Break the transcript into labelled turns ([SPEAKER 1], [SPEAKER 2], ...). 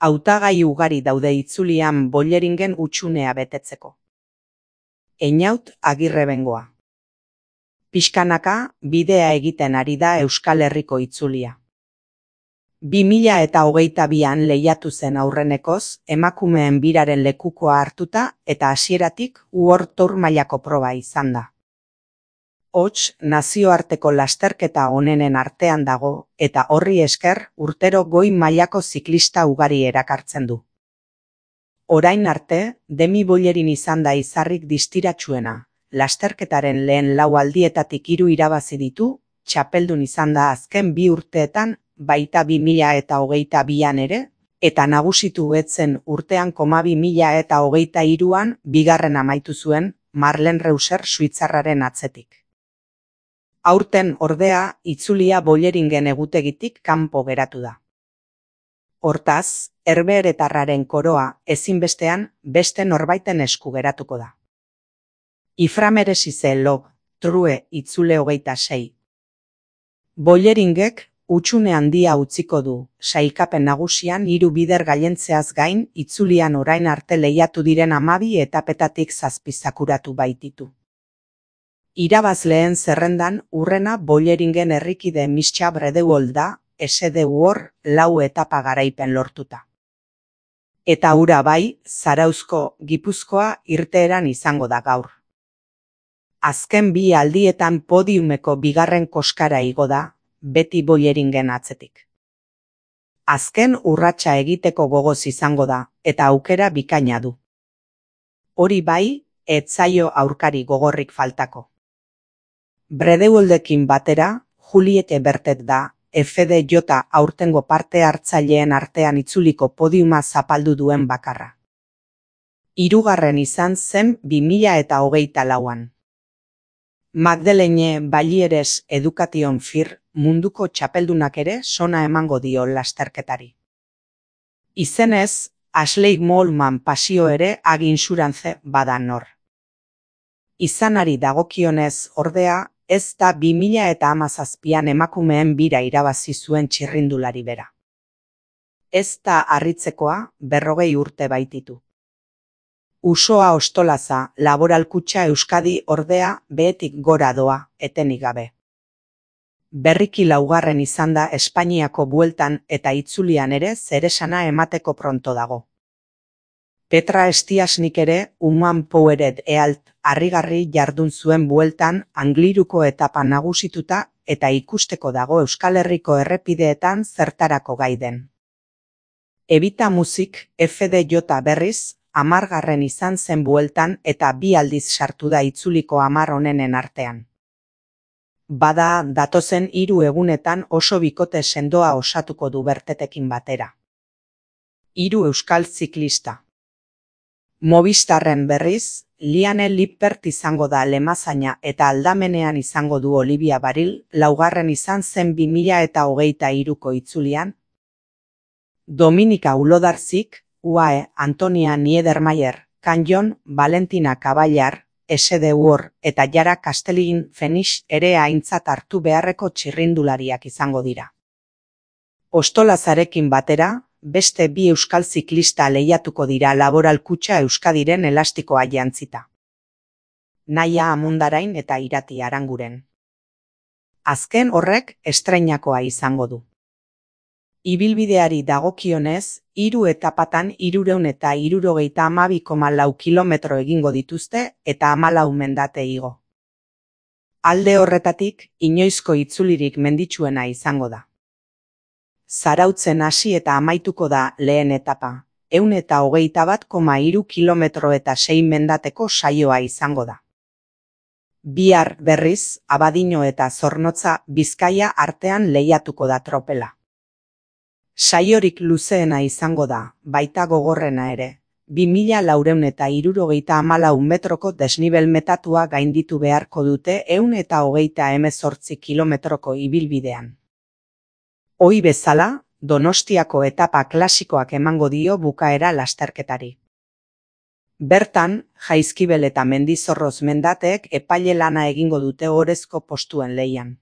[SPEAKER 1] Hautagai ugari daude itzulian Bolleringen hutsunea betetzeko. Einaut Agirrebengoa. Pixkanaka bidea egiten ari da Euskal Herriko itzulia. 2022an lehiatu zen aurrenekoz, emakumeen biraren lekukoa hartuta eta hasieratik World Tour mailako proba izan da. Hots, nazioarteko lasterketa onenen artean dago eta horri esker urtero goi mailako ziklista ugari erakartzen du. Orain arte, Demi Bollerin izan da izarrik distiratsuena. Lasterketaren lehen 4 aldietatik 3 irabazi ditu, txapeldun izan da azken 2 urteetan, baita 2022an ere, eta nagusitu etzen urtean 2023an bigarren amaitu zuen Marlen Reusser suitzarraren atzetik. Aurten ordea, itzulia Bolleringen egutegitik kanpo geratu da. Hortaz, herbeheretarraren koroa ezinbestean beste norbaiten esku geratuko da. Iframeresize log, true itzule 26. Bolleringek hutsune handia utziko du, sailkapen nagusian 3 bider gailentzeaz gain, itzulian orain arte lehiatu diren 12 etapetatik 7 zakuratu baititu. Irabazleen zerrendan urrena Bolleringen herrikide Mischa Bredewald da, SDUor 4 etapa garaipen lortuta. Eta hura bai, Zarauzko, Gipuzkoa irteeran izango da gaur. Azken 2 aldietan podiumeko bigarren koskara igo da, beti Bolleringen atzetik. Azken urratsa egiteko gogoz izango da, eta aukera bikaina du. Hori bai, ez zaio aurkari gogorrik faltako. Bredewaldekin batera, Juliette Bertet da, FDJ aurtengo parte hartzaileen artean itzuliko podiuma zapaldu duen bakarra. 3. izan zen 2024an. Magdalene Ballieres Education Fir munduko txapeldunak ere sona emango dio lasterketari. Izenez, Ashley Mollman pasio ere Ag Insurance bada nor. Izanari dagokionez ordea, ez da 2017an emakumeen bira irabazi zuen txirrindulari bera. Ez da harritzekoa 40 urte baititu. Usoa Ostolaza, Laboral Kutxa Euskadi ordea behetik gora doa, etenik gabe. Berriki 4. izan da Espainiako bueltan eta itzulian ere zeresana emateko pronto dago. Petra Estiasnik ere Human Powered Ealt harrigarri jardun zuen bueltan Angliruko etapa nagusituta eta ikusteko dago Euskal Herriko errepideetan zertarako gai den. Evita Muzik FDJ berriz 10. izan zen bueltan eta 2 aldiz sartu da itzuliko 10 onenen artean. Bada datozen 3 egunetan oso bikote sendoa osatuko du Bertetekin batera. 3 euskal ziklista. Movistarren berriz, Liane Lippert izango da lemazaina eta aldamenean izango du Olivia Baril, 4. izan zen 2023ko itzulian. Dominika Ulodarzik, UAE, Antonia Niedermayer, Canyon, Valentina Caballar, SDUor eta Jara Castellin Fenix ere aintzat hartu beharreko txirrindulariak izango dira. Ostolazarekin batera, beste 2 euskal ziklista lehiatuko dira Laboral Kutxa Euskadiren elastikoa jantzita. Naia Amundarain eta Irati Aranguren. Azken horrek estreinakoa izango du. Ibilbideari dagokionez, 3 etapatan 372,4 kilometro egingo dituzte eta 14 mendate igo. Alde horretatik, inoizko itzulirik menditsuena izango da. Zarautzen hasi eta amaituko da lehen etapa, 121,3 kilometro eta 6 mendateko saioa izango da. Bihar berriz, Abadiño eta Zornotza Bizkaia artean lehiatuko da tropela. Saiorik luzeena izango da, baita gogorrena ere, 2474 metroko desnibel metatua gainditu beharko dute 128 kilometroko ibilbidean. Ohi bezala, Donostiako etapa klasikoak emango dio bukaera lasterketari. Bertan, Jaizkibel eta Mendizorroz mendateek epaile lana egingo dute orezko postuen lehian.